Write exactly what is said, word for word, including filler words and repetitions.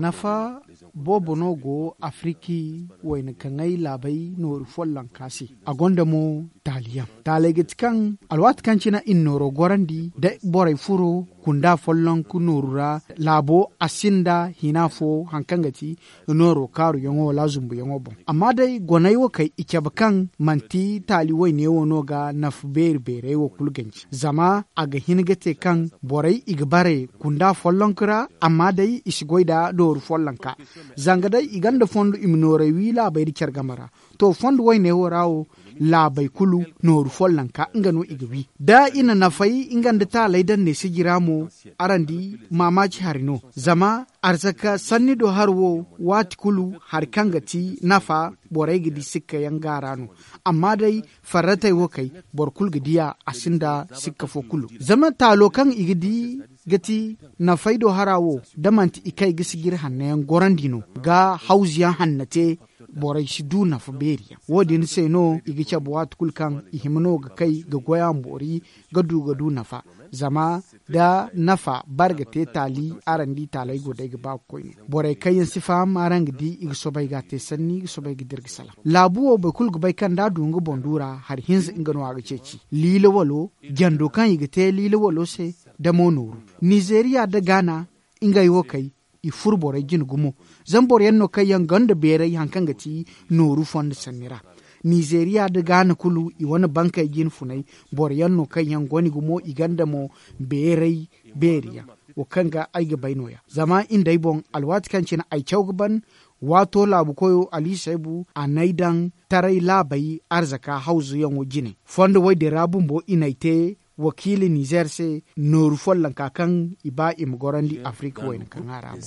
Nafa boobo no go afiriki wayna kaŋay laabey nooru follonka se. A gonda mo taali yaŋ taaley ga ti kaŋ alwaati kaŋ cine i na nooro gorandi da borey furo kunda follonka nooru ra. Laabo a sinda hina fo hari kaŋ ga ti nooro kaaruyaŋo wala zumbuyaŋo boŋ. Amma day goney wo kay i cabe kaŋ manti taali wayne wo no ga nafa beeri beerey wo kulu ganji zama a ga hin ga te kaŋ borey i ga bare kunda follonka ra. Amma day i si goy nda nooru follonka zanga day i gonda fondo i ma noorey wi laabey nda care game ra. To fondo wayne wo ra wo laabey kulu nooru follonka nga no i ga wi da i na nafey nga nda taaley daŋ ne sijira mo. Araŋ di maamaaci hari no zama arzaka sanni do hari wo waati kulu hari kaŋ ga ti nafa borey ga di sikka yaŋ gaara no. Amma day farratey wo kay boro kulu ga diya a sinda sikka fo kulu zama taalo kaŋ i ga di ga ti nafey do hara wo da manti i kay ga sijiri hanno yaŋ gorandi no ga hawzu yaŋ hanno te. Borey si du nafa beeri yaŋ wo- din se no i ga cabe waati kulu kaŋ i hima no ga kay ga goy a ma boori ga du ga du nafa. Zama da nafa bare ga te taali araŋ di taaley go day ga ba ga koy no. Borey kaŋ yaŋ si faham araŋ ga di i ga soobay ga a te sanni i ga soobay ga dira ga salaŋ laabu wo boro kulu ga bay kaŋ da a du nga boŋ du ra hari hinza nga no a ga ceeci liila walo jando kaŋ i ga te liila walo se. Da mo nooru nizeeriya nda gaana ngey wo kay i furo borey jine gumo. Zama boro yaŋ no kaŋ yaŋ gonda beeray hari kaŋ ga ti nooru fondo sanni ra. Nizeeriya nda gaana kulu i wane bankey jine funay boro yaŋ no kaŋ yaŋ goni gumo i gonda mo beeray beeri yaŋ. Wo kaŋ ga ay ga bay no- ya zama i nd'ay boŋ alwaati kaŋ cine ay caw ga ban waato laabu koyo ali saybu a n'ay daŋ taray laabey arzaka hawzu yaŋo jine fondo wo- din ra bumbo i n'ay te wakiila nizeer se nooru follonka kaŋ i ba i ma gorandi afirika wayna kaŋ a ra mo.